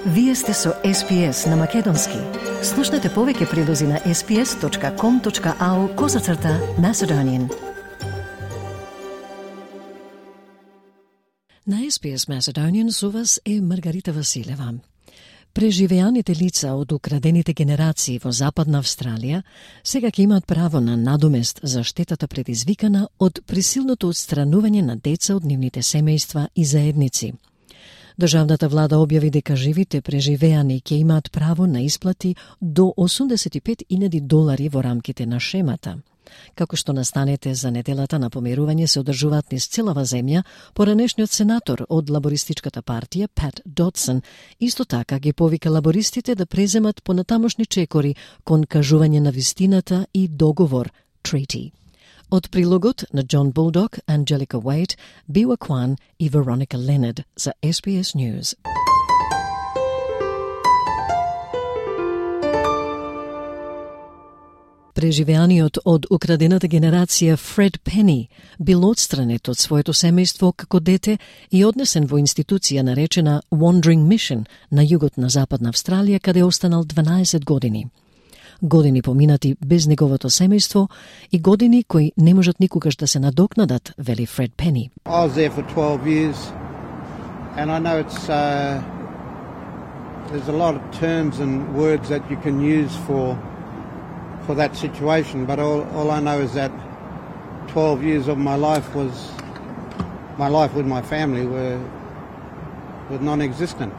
Вие сте со SPS на Македонски. Слушнете повеќе прилози на sps.com.au/Macedonian. На SPS Macedonian со вас е Маргарита Василева. Преживеаните лица од украдените генерации во Западна Австралија сега ќе имаат право на надомест за штетата предизвикана од присилното отстранување на деца од нивните семејства и заедници. Државната влада објави дека живите преживеани ќе имаат право на исплати до $85,000 во рамките на шемата. Како што настанете за неделата на помирување се одржуваат низ целава земја, поранешниот сенатор од лабористичката партија, Пат Дотсон, исто така ги повика лабористите да преземат понатамошни чекори кон кажување на вистината и договор, treaty. Од прилогот на Jon Bulldog, Angelica Wade, Biwa Kwan и Veronica Leonard за SBS News. Преживеаниот од украдената генерација Фред Пени бил отстранет од своето семејство како дете и однесен во институција наречена Wandering Mission на југот на Западна Австралија, каде останал 12 години. Години поминати без неговото семејство и години кои не можат никогаш да се надокнадат, вели Фред Пени. I was there for 12 years and I know it's there's a lot of terms and words that you can use for that situation, but all I know is that 12 years of my life with my family were non-existent.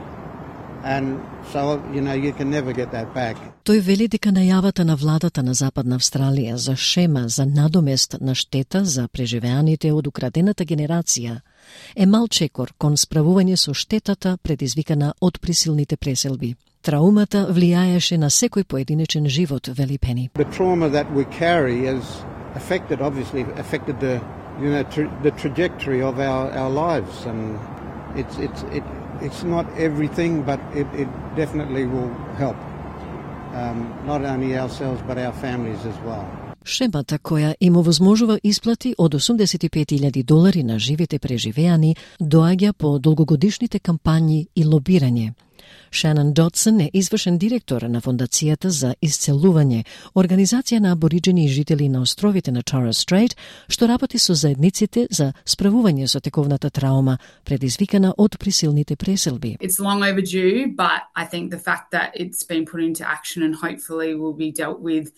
And so, you can never get that back. Тој вели дека најавата на владата на Западна Австралија за шема за надомест на штета за преживеаните од украдената генерација е мал чекор кон справување со штетата предизвикана од присилните преселби. Траумата влијаеше на секој поединечен живот, вели Пени. The trauma that we carry has affected the trajectory of our lives, and it's not everything, but it definitely will help. Not only ourselves, but our families as well. Шемата која им овозможува исплати од $85,000 на живите преживеани доаѓа по долгогодишните кампањи и лобирање. Шанон Дотсон е извршен директор на Фондацијата за исцелување, организација на абориџени и жители на островите на Torres Strait, што работи со заедниците за справување со тековната траума предизвикана од присилните преселби. It's long overdue, but I think the fact that it's been put into action and hopefully will be dealt with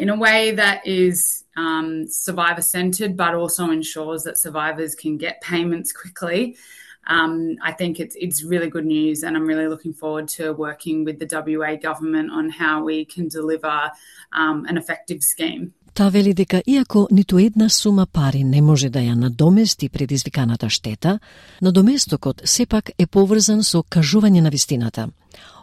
in a way that is survivor-centred, but also ensures that survivors can get payments quickly. I think it's really good news, and I'm really looking forward to working with the WA government on how we can deliver an effective scheme. Та вели дека иако ниту една сума пари не може да ја надомести предизвиканата штета, надоместокот сепак е поврзан со кажување на вистината.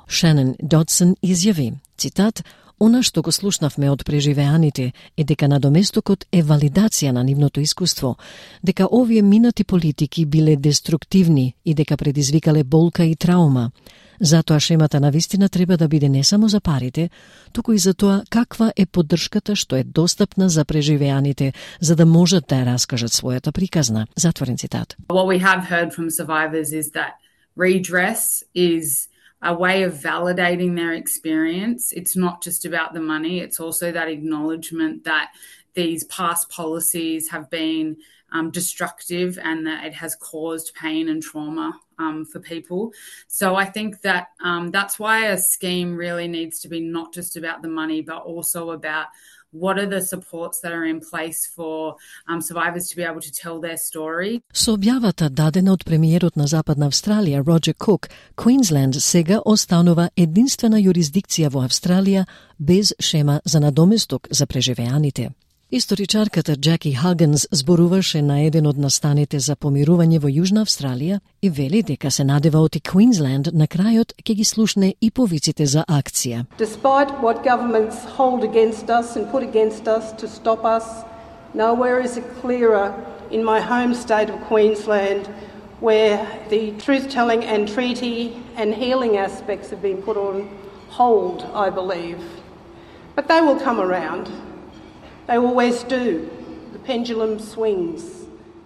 Шанон Дотсон изјави, цитат, "Она што го слушнавме од преживеаните е дека надоместокот е валидација на нивното искуство, дека овие минати политики биле деструктивни и дека предизвикале болка и траума. Затоа шемата на вистина треба да биде не само за парите, туку и за тоа каква е поддршката што е достапна за преживеаните, за да можат да ја раскажат својата приказна." Затворен цитат. What we have heard from survivors is that redress is a way of validating their experience. It's not just about the money, it's also that acknowledgement that these past policies have been destructive and that it has caused pain and trauma for people. So I think that that's why a scheme really needs to be not just about the money, but also about what are the supports that are in place for survivors to be able to tell their story. Со објавата дадена од премиерот на Западна Австралија, Роџер Кук, Квинсленд сега останува единствена јурисдикција во Австралија без шема за надоместок за преживеаните. Историчарката Джаки Хагенс зборуваше на еден од настаните за помирување во Јужна Австралија и вели дека се надева оти Квинсленд на крајот ќе ги слушне и повиците за акција. Despite what governments hold against us and put against us to stop us, nowhere is it clearer in my home state of Queensland, where the truth-telling and treaty and healing aspects have been put on hold, I believe. But they will come around. They always do. The pendulum swings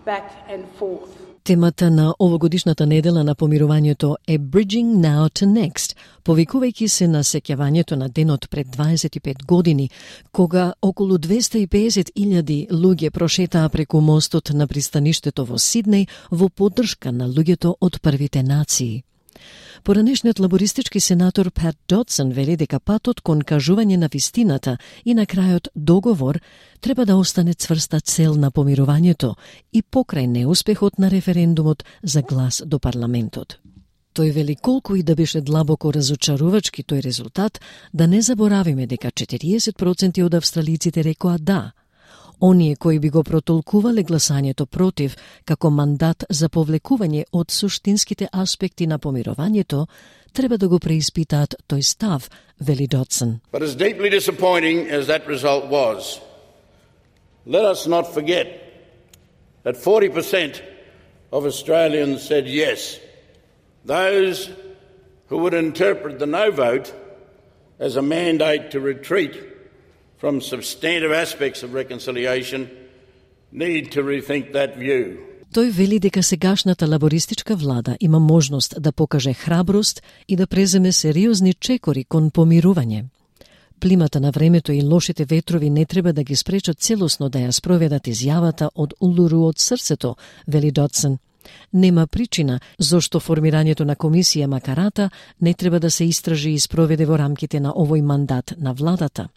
back and forth. Темата на овогодишната недела на помирувањето е Bridging Now to Next, повикувајќи се на сеќавањето на денот пред 25 години, кога околу 250.000 луѓе прошетаа преку мостот на пристаништето во Сиднеј во поддршка на луѓето од првите нации. Поранешниот лабористички сенатор Пат Додсон вели дека патот кон кажување на вистината и на крајот договор треба да остане цврста цел на помирувањето и покрај неуспехот на референдумот за глас до парламентот. Тој вели колку и да беше длабоко разочарувачки тој резултат, да не заборавиме дека 40% од австралиците рекоа да. Оние кои би го протолкувале гласањето против како мандат за повлекување од суштинските аспекти на помирувањето, треба да го преиспитаат тој став, вели Додсон. But as deeply disappointing as that result was, let us not forget that 40% of Australians said yes. Those who would interpret the no vote as a mandate to retreat from substantive aspects of reconciliation need to rethink that view. Тој вели дека сегашната лабористичка влада има можност да покаже храброст и да преземе сериозни чекори кон помирување. Плимата на времето и лошите ветрови не треба да ги спречат целосно да ја спроведат изјавата од Улуру од срцето, вели Додсон. Нема причина зошто формирањето на комисија Макарата не треба да се истражи и спроведе во рамките на овој мандат на владата.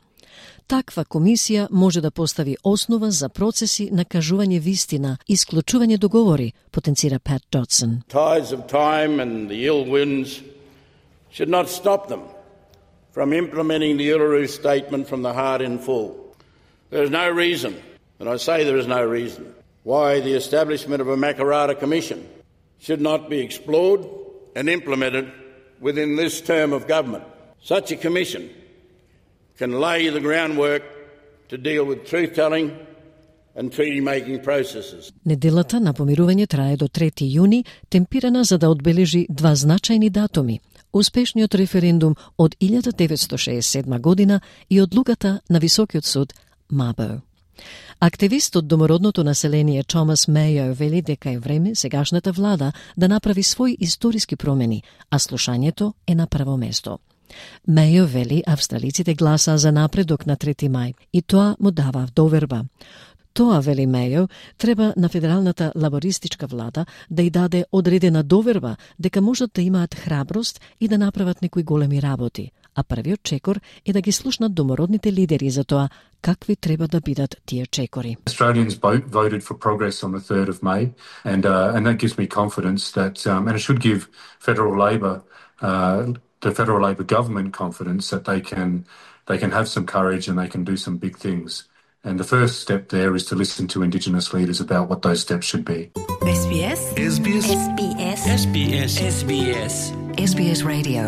Таква комисија може да постави основа за процеси на кажување вистина и склучување договори, потенцира Пат Додсон. Tides of time and the ill winds should not stop them from implementing the Uluru Statement from the heart in full. There is no reason, and I say there is no reason, why the establishment of a Makarrata Commission should not be explored and implemented within this term of government. Such a commission can lay the groundwork to deal with truth-telling and treaty-making processes. Неделата на помирување трае до 3 јуни, темпирана за да одбележи два значајни датуми: успешниот референдум од 1967 година и одлуката на Високиот суд Мабо. Активист од домородното население Томас Мејо вели дека е време сегашната влада да направи своји историски промени, а слушањето е на прво место. Мејо вели австралиците гласаа за напредок на 3 мај и тоа му дава доверба. Тоа, вели Мејо, треба на федералната лабористичка влада да ја даде одредена доверба дека можат да имаат храброст и да направат некои големи работи, а првиот чекор е да ги слушнат домородните лидери за тоа какви треба да бидат тие чекори. Australians voted for progress on the 3rd of May, and that gives me confidence that, and it should give the federal Labor government confidence that they can have some courage and they can do some big things. And the first step there is to listen to Indigenous leaders about what those steps should be. SBS. SBS. SBS. SBS. SBS. SBS Radio.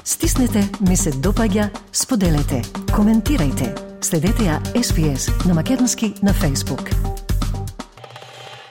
Стиснете, ми се допаѓа, споделете, коментирајте. Следете ја SBS на македонски на Facebook.